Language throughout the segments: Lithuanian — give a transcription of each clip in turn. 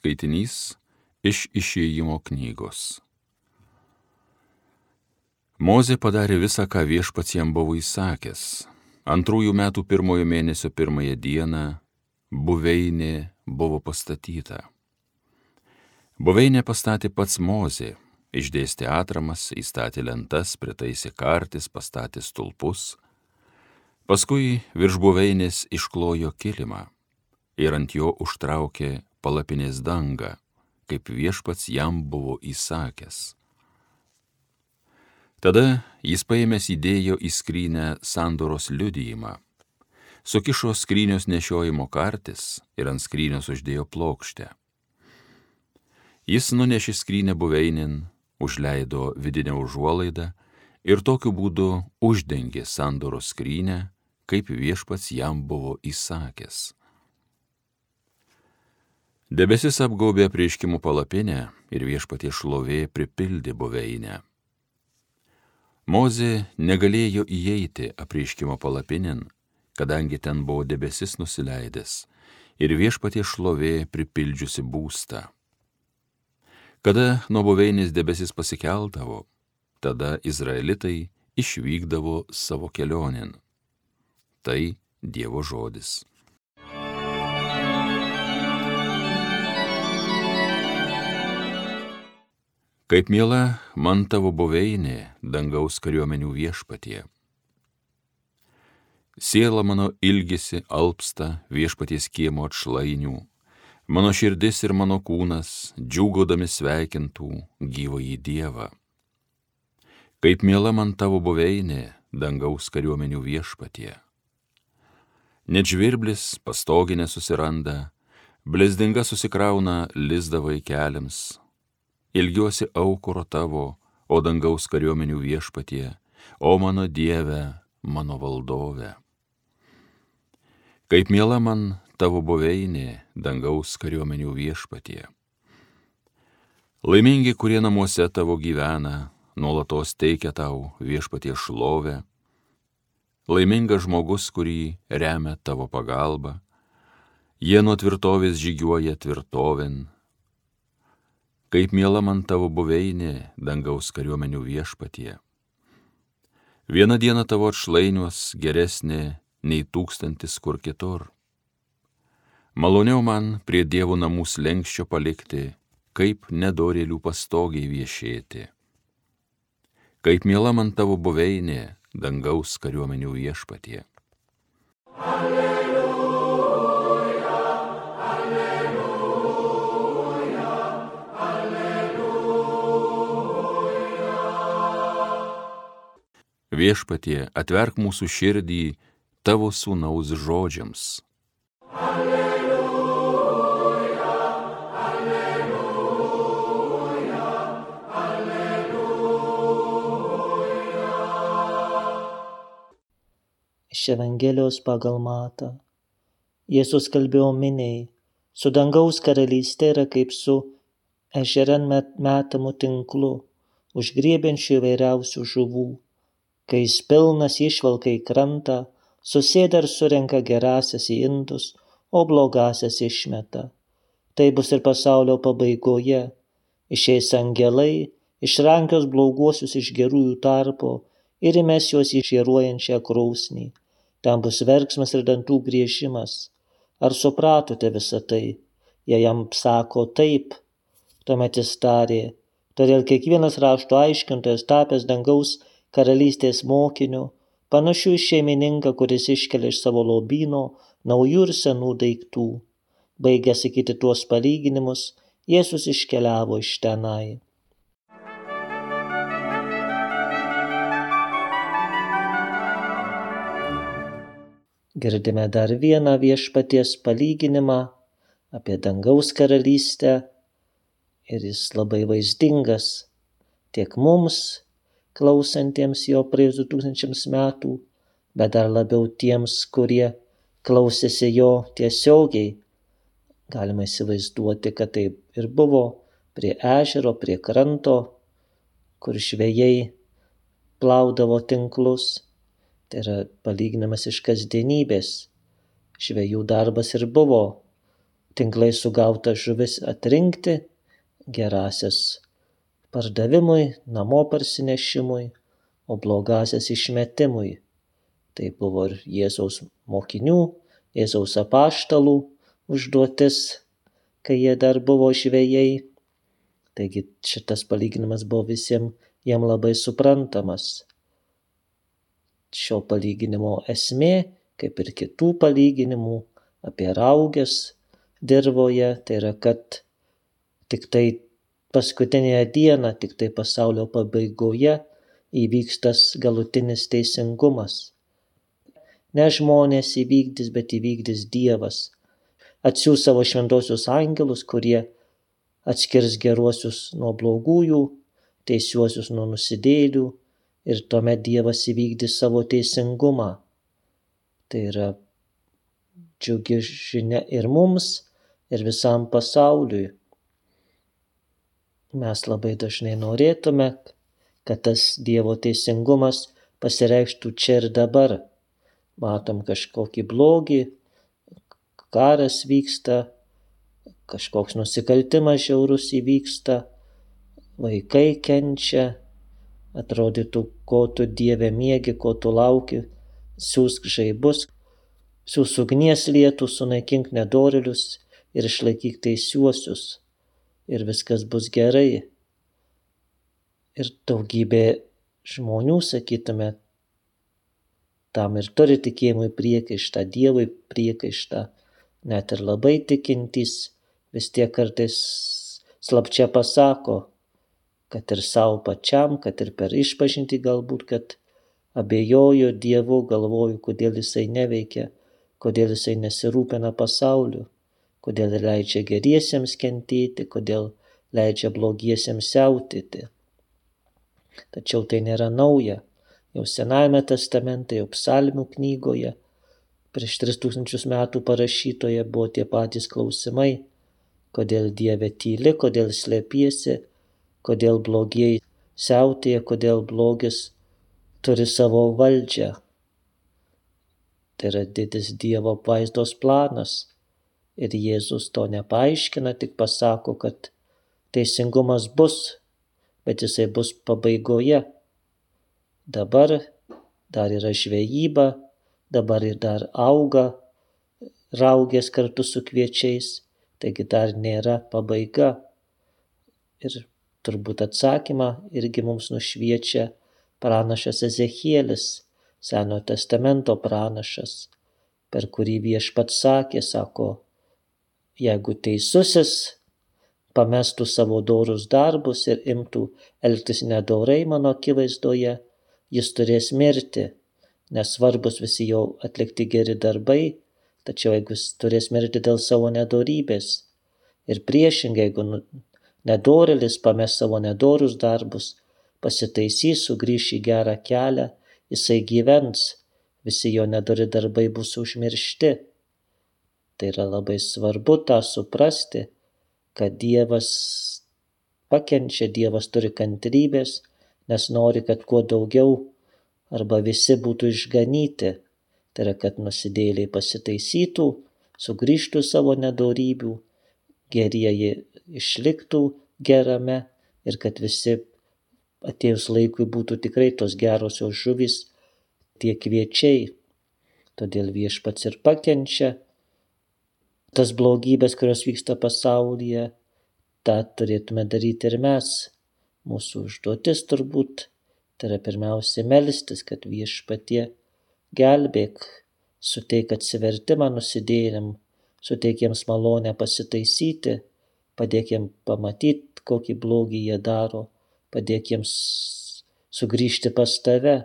skaitinys iš Išėjimo knygos. Mozė padarė visą, ką Viešpats jam buvo įsakęs. 2 metų 1 mėnesio 1 dieną buveinė buvo pastatyta. Buveinę pastatė pats Mozė, išdėstė atramas, įstatė lentas, pritaisė kartis, pastatė stulpus. Paskui virš buveinės išklojo kilimą ir ant jo užtraukė palapinės dangą, kaip Viešpats jam buvo įsakęs. Tada jis paėmęs įdėjo į skrynę sandoros liudijimą, sukišo skrynios nešiojimo kartis ir ant skrynios uždėjo plokštę. Jis nunešė skrynę buveinėn, užleido vidinę užuolaidą ir tokiu būdu uždengė sandoros skrynę, kaip Viešpats jam buvo įsakęs. Debesis apgaubė apreiškimų palapinę ir Viešpaties šlovė pripildė buveinę. Mozė negalėjo įeiti apreiškimo palapinėn, kadangi ten buvo debesis nusileidęs ir Viešpaties šlovė pripildžiusi būstą. Kada nuo buveinės debesis pasikeldavo, tada izraelitai išvykdavo savo kelionėn. Tai Dievo žodis. Kaip miela man tavo buveinė, dangaus kariuomenių Viešpatie. Siela mano ilgisi alpsta Viešpaties kiemo atšlainių, mano širdis ir mano kūnas džiūgaudami sveikintų gyvąjį Dievą. Kaip miela man tavo buveinė, dangaus kariuomenių Viešpatie. Net žvirblis pastoginę susiranda, blezdinga susikrauna lizdą vaikeliams. Ilgiuosi aukuro tavo, o dangaus kariuomenių Viešpatie, o mano Dieve, mano valdove. Kaip miela man tavo buveinė, dangaus kariuomenių Viešpatie. Laimingi, kurie namuose tavo gyvena, nuolatos teikia tau Viešpaties šlovę. Laimingas žmogus, kurį remia tavo pagalba, jie nuo tvirtovės žygiuoja tvirtovėn. Kaip miela man tavo buveinė, dangaus kariuomenių Viešpatie. Viena diena tavo atšlainiuos geresnė nei 1000 kur kitur. Maloniau man prie Dievo namų slenksčio palikti, kaip nedorėlių pastogiai viešėti. Kaip miela man tavo buveinė, dangaus kariuomenių Viešpatie. Viešpatie, atverk mūsų širdį tavo sūnaus žodžiams. Alleluja, alleluja, alleluja. Iš Evangelijos pagal Matą. Jėzus kalbėjo miniai, su dangaus karalystė yra kaip su ežeran metamu tinklu, užgriebiančiu įvairiausių žuvų. Kai jis pilnas išvalka į krantą, susėda ir surenka gerasias į indus, o blogasias išmeta. Tai bus ir pasaulio pabaigoje. Išeis angelai, išrankios bloguosius iš gerųjų tarpo ir įmes juos į žėruojančią krosnį. Ten bus verksmas ir dantų griežimas. Ar supratote visą tai? Jei jam sako taip, tuomet jis tarė, todėl kiekvienas rašto aiškintojas tapęs dangaus karalystės mokiniu, panašių į šeimininką, kuris iškelia iš savo lobyno naujų ir senų daiktų. Baigęs sakyti tuos palyginimus, Jėzus iškeliavo iš tenai. Girdime dar vieną Viešpaties palyginimą apie dangaus karalystę ir jis labai vaizdingas tiek mums, klausantiems jo praėjus 2000 metų, bet dar labiau tiems, kurie klausėsi jo tiesiogiai. Galima įsivaizduoti, kad taip ir buvo prie ežero, prie kranto, kur žvejai plaudavo tinklus. Tai yra palyginimas iš kasdienybės. Žvejų darbas ir buvo tinklai sugautas žuvis atrinkti, gerasias pardavimui, namo parsinešimui, o blogasias išmetimui. Tai buvo ir Jėzaus mokinių, Jėzaus apaštalų užduotis, kai jie dar buvo žvejai. Taigi šitas palyginimas buvo visiems jam labai suprantamas. Šio palyginimo esmė, kaip ir kitų palyginimų apie rauges dirvoje, tai yra, kad tik tai paskutinėje dieną, tik tai pasaulio pabaigoje įvyks tas galutinis teisingumas. Ne žmonės įvykdys, bet įvykdys Dievas. Atsiųs savo šventosius angelus, kurie atskirs geruosius nuo blogųjų, teisiuosius nuo nusidėjėlių, ir tuomet Dievas įvykdys savo teisingumą. Tai yra džiugi žinia ir mums, ir visam pasauliui. Mes labai dažnai norėtume, kad tas Dievo teisingumas pasireikštų čia ir dabar. Matom kažkokį blogį, karas vyksta, kažkoks nusikaltimas žiaurus įvyksta, vaikai kenčia, atrodytų, ko tu Dieve miegi, ko tu lauki, siųsk žaibus, siųsk ugnies lietų, sunaikink nedorėlius ir išlaikyk teisiuosius, ir viskas bus gerai. Ir daugybė žmonių, sakytume, tam ir turi tikėjimui priekaištą, Dievui priekaištą, net ir labai tikintys vis tiek kartais slapčia pasako, kad ir savo pačiam, kad ir per išpažintį galbūt, kad abejoju Dievu, galvoju, kodėl jisai neveikia, kodėl jisai nesirūpina pasauliu, kodėl leidžia geriesiems kentėti, kodėl leidžia blogiesiems siautėti. Tačiau tai nėra nauja. Jau Senajame testamente, jau Psalmių knygoje, prieš 3000 metų parašytoje buvo tie patys klausimai, kodėl Dieve tyli, kodėl slėpiesi, kodėl blogieji siautėja, kodėl blogis turi savo valdžią. Tai yra didis Dievo apvaizdos planas. Ir Jėzus to nepaaiškina, tik pasako, kad teisingumas bus, bet jisai bus pabaigoje. Dabar dar yra žvejyba, dabar ir dar auga raugės kartu su kviečiais, taigi dar nėra pabaiga. Ir turbūt atsakymą irgi mums nušviečia pranašas Ezechielis, Senojo testamento pranašas, per kurį Viešpats sakė, sako, jeigu teisusis pamestų savo dorus darbus ir imtų elgtis nedorai mano akivaizdoje, jis turės mirti, nes svarbus visi jau atlikti geri darbai, tačiau jeigu jis turės mirti dėl savo nedorybės. Ir priešingai, jeigu nedorėlis pames savo nedorus darbus, pasitaisys, sugrįš į gerą kelią, jisai gyvens, visi jo nedori darbai bus užmiršti. Tai yra labai svarbu tą suprasti, kad Dievas pakenčia, Dievas turi kantrybės, nes nori, kad kuo daugiau arba visi būtų išganyti. Tai yra, kad nusidėjėliai pasitaisytų, sugrįžtų savo nedorybių, gerieji išliktų gerame ir kad visi atėjus laikui būtų tikrai tos gerosios žuvys, tie kviečiai. Todėl Viešpats ir pakenčia tas blogybės, kurios vyksta pasaulyje, tą turėtume daryti ir mes. Mūsų užduotis turbūt tai yra pirmiausia melstis, kad Viešpatie gelbėk, suteik atsivertimą nusidėjėliam, suteik jiems malonę pasitaisyti, padėk jiems pamatyti, kokį blogį jie daro, padėk jiems sugrįžti pas tave,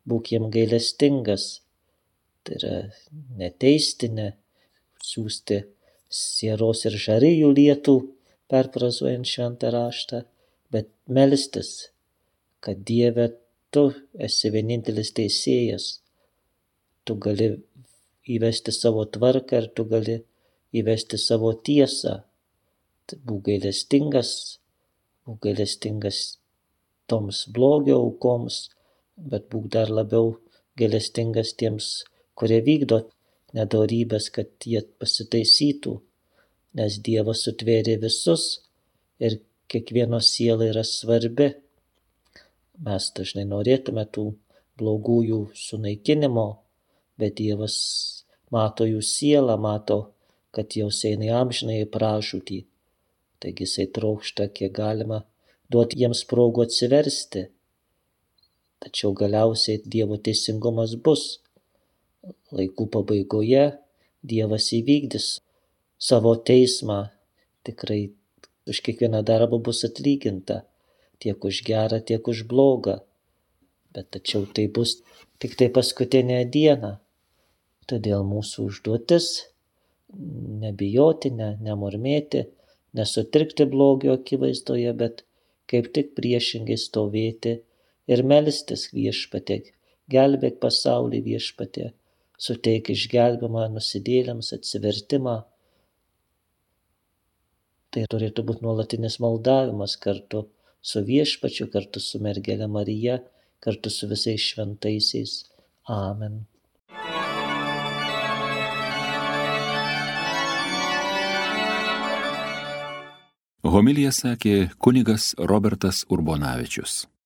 būk jiems gailestingas. Tai yra neteisti, ne siųsti sieros ir žarijų lietų, perfrazuojant šventą raštą, bet melstis, kad Dieve tu esi vienintelis teisėjas, tu gali įvesti savo tvarką ir tu gali įvesti savo tiesą. Būk gailestingas toms blogio aukoms, bet būk dar labiau gailestingas tiems, kurie vykdo nedorybės, kad jie pasitaisytų. nes Dievas sutvėrė visus ir kiekvieno siela yra svarbi. Mes dažnai norėtume tų blogųjų sunaikinimo, bet Dievas mato jų sielą, mato, kad jos eina į amžinąjį pražūtį. Taigi jisai trokšta, kiek galima duoti jiems progų atsiversti. Tačiau galiausiai Dievo teisingumas bus. Laikų pabaigoje Dievas įvykdys savo teismą. Tikrai už kiekvieną darbą bus atlyginta, tiek už gerą, tiek už blogą. Bet tačiau tai bus tik tai paskutinę dieną. Todėl mūsų užduotis nebijoti, nemurmėti, nesutrikti blogio akivaizdoje, bet kaip tik priešingai stovėti ir melstis Viešpatie, gelbėk pasaulį Viešpatie, suteik išgelbimą nusidėjėliams, atsivertimą. Tai turėtų būti nuolatinis maldavimas kartu su Viešpačiu, kartu su mergele Marija, kartu su visais šventaisiais. Amen. Homiliją sakė kunigas Robertas Urbonavičius.